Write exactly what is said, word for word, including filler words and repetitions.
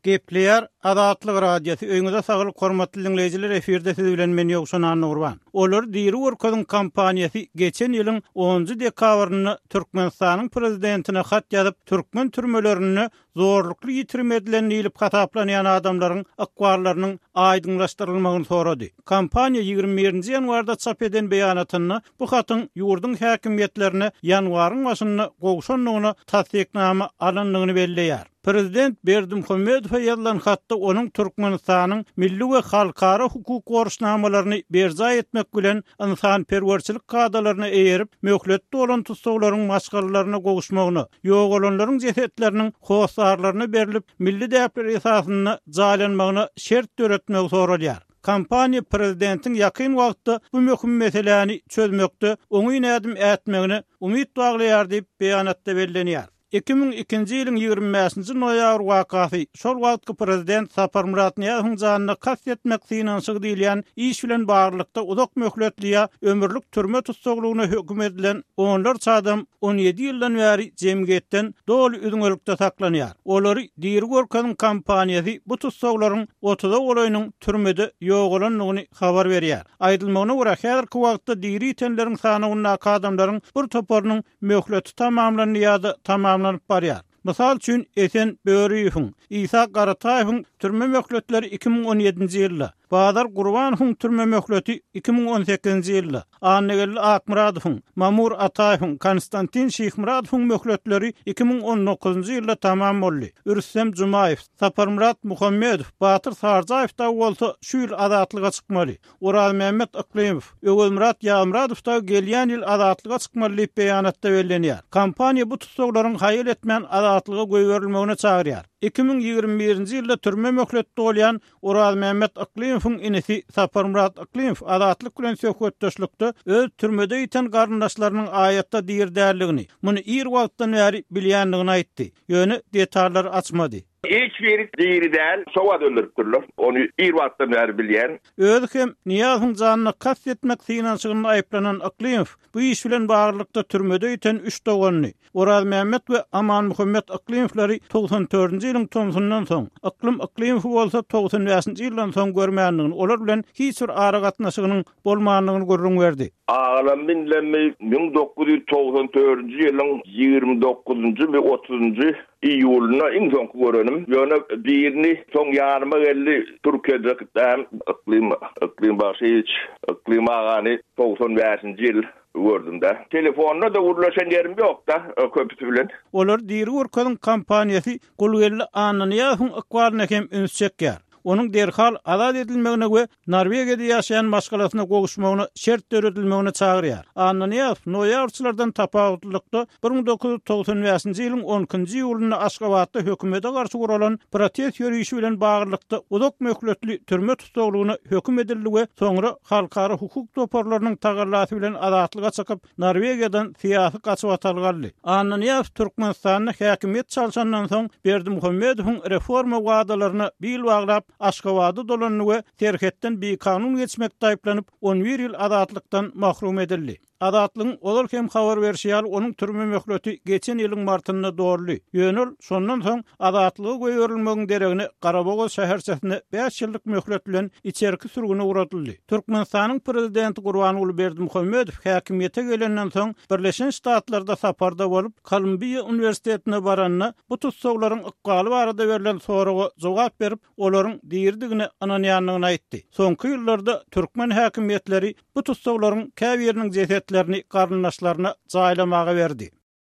Gepleýär Azatlyk Radiosy. Öýüňize saglyk, hormatly diňleýjiler, efirde siz bilen men Ýowşan Annagurban. Olary diri görkeziň kampaniýasy geçen ýylyň onunjy dekabrynda Türkmenistanyň prezidentine hat ýazyp, türkmen türmelerinde zorlukly ýitirim edilen diýlip hasaplanýan adamlaryň ykballarynyň aýdyňlaşdyrylmagyny sorady. Kampaniýa ýigrimi birinji ýanwarda çap eden beýanatynda bu hatyň ýurduň häkimiýetlerine ýanwaryň başynda gowşandygyna tassyknama alyndygyny belleýär. Prezident Berdimuhamedowa ýazylan hatda onuň Türkmenistanyň milli we halkara hukuk borçnamalaryny berjaý etmek bilen ynsanperwerçilik kadalaryna eýerip, möhletde bolan tussaglaryň maşgalalaryna gowuşmagyna, ýogalanlaryň jesetleriniň hossarlaryna berlip, milli däpler esasynda jaýlanmagyna şert döretmegi soralýar. Kampaniýa prezidentiň ýakyn wagtda bu möhüm meseläni çözmekde oňyn ädim ätmegine umyt baglaýar diýip beýanatda bellenýär. Iki müň ikinji ýylyň ýigrimi bäşinji noýabr wakasy şol wagtky prezident Saparmyrat Nyýazowyň janyna kast etmek synanyşygy diýilýän iş bilen baglylykda uzak möhletli ýa ömürlik türme tussaglygyna höküm edilen onlarça adam on ýedi ýyldan bäri jemgyýetden doly üzňelikde saklanýar. Olary diri görkeziň kampaniýasy bu tussaglaryň otuza golaýynyň türmede ýogalandygyny habar berýär. Aýdylmagyna görä, häzirki wagtda diri ýitenleriň sanawyndaky adamlaryň bir toparynyň möhleti tamamlandy ýa-da tamamlanyp barýar. Mysal üçin Esen Böriýewiň, Isa Garataýewiň türme möhletleri iki müň on ýedinji ýylda, Bazar Gurbanowyň türme möhleti iki müň on sekizinji ýylda, Annageldi Akmyradowyň, Mamur Ataýewiň, Konstantin Şihmyradowyň möhletleri iki müň on dokuzynjy ýylda tamam boldy. Rüstem Jumaýew, Saparmyrat Muhammedow, Batyr Sarjaýew dagy bolsa şu ýyl azatlyga çykmaly. Orazmämmet Yklymow, Öwezmyrat Ýazmyradow dagy gelýän ýyl azatlyga çykmaly diýip beýanatda bellenýär. Kampaniýa bu tussaglaryň haýal etmän azatlyga goýberilmegine çagyrýar. Iki müň ýigrimi birinji ýylda türme möhleti dolýan Orazmämmet Yklymowyň inisi Saparmyrat Yklymow azatlyk bilen söhbetdeşlikde öz türmede ýiten garyndaşlarynyň aýatda diri däldigini, muny ir wagtdan bäri bilýändigini aýtdy. Ýöne detallary açmady. Hiç biri diri däl, sowat öldüripdirler. Ony ir wagtdan bäri bilýän. Özi hem Nyýazowyň janyna kast etmek synanyşygynda aýyplanan Yklymow bu iş bilen baglylykda türmede ýiten üç doganyny, Orazmämmet we Amanmuhammet Yklymowlary togsan dördünji ýylyň tomsundan soň, Yklym Yklymowy bolsa togsan bäşinji ýyldan soň görmändigini, olar bilen hiç bir aragatnaşygynyň bolmandygyny gürrüň berdi. Agalam binlemi müň dokuz ýüz togsan dördünji ýylyň ýigrimi dokuzynjy we otuzynjy iýulynda iň soňky görenim. Ýöne birini soň ýanyma geldi, Türkiýede gitdim, Yklym, Yklym Bagşyýewiç, Yklym agany togsan bäşinji ýyl gördüm de. Telefonda da gürleşen ýerim ýok da, köpüsi bilen. Olar diri görkeziň kampaniýasy Gulgeldi Annanyýazowyň ykbalyna hem üns çekýär. Onuň derhal azat edilmegine we Norwegiýada ýaşaýan maşgalasyna gowuşmagyna şert döredilmegine çagyrýar. Annanyýazow noýabrçylardan tapawutlylykda bir müň dokuz ýüz togsan bäşinji ýylyň on ikinji iýulynda Aşgabatda hökümete garşy guralan protest ýörişi bilen baglylykda uzak möhletli türme tussaglygyna höküm edildi we soňra halkara hukuk toparlarynyň tagallasy bilen azatlyga çykyp, Norwegiýadan syýasy gaçybatalga aldy. Annanyýazow Türkmenistanda häkimiýet çalşandan soň Berdimuhamedowyň reforma wadalaryna bil baglap Aşgabada dolandy we serhetden bikanun geçmekde aýyplanyp, on bir ýyl azatlykdan mahrum edildi. Azatlygyň ozal hem habar berşi ýaly, onuň türme möhleti geçen ýylyň martynda doldy. Ýöne ol şondan soň azatlyga goýberilmegiň deregine Garabogaz şäherçesine bäş ýyllyk möhlet bilen içerki sürgüne ugradyldy. Türkmenistanyň prezidenti Gurbanguly Berdimuhamedow häkimiýete gelenden soň Birleşen Ştatlarda saparda bolup, Kolumbiýa uniwersitetine baranda bu tussaglaryň ykbaly barada berlen soraga jogap berip, olaryň diridigine ynanýandygyny aýtdy. Soňky ýyllarda türkmen häkimiýetleri bu tussaglaryň käbiriniň jesetlerini garyndaşlaryna jaýlamaga berdi.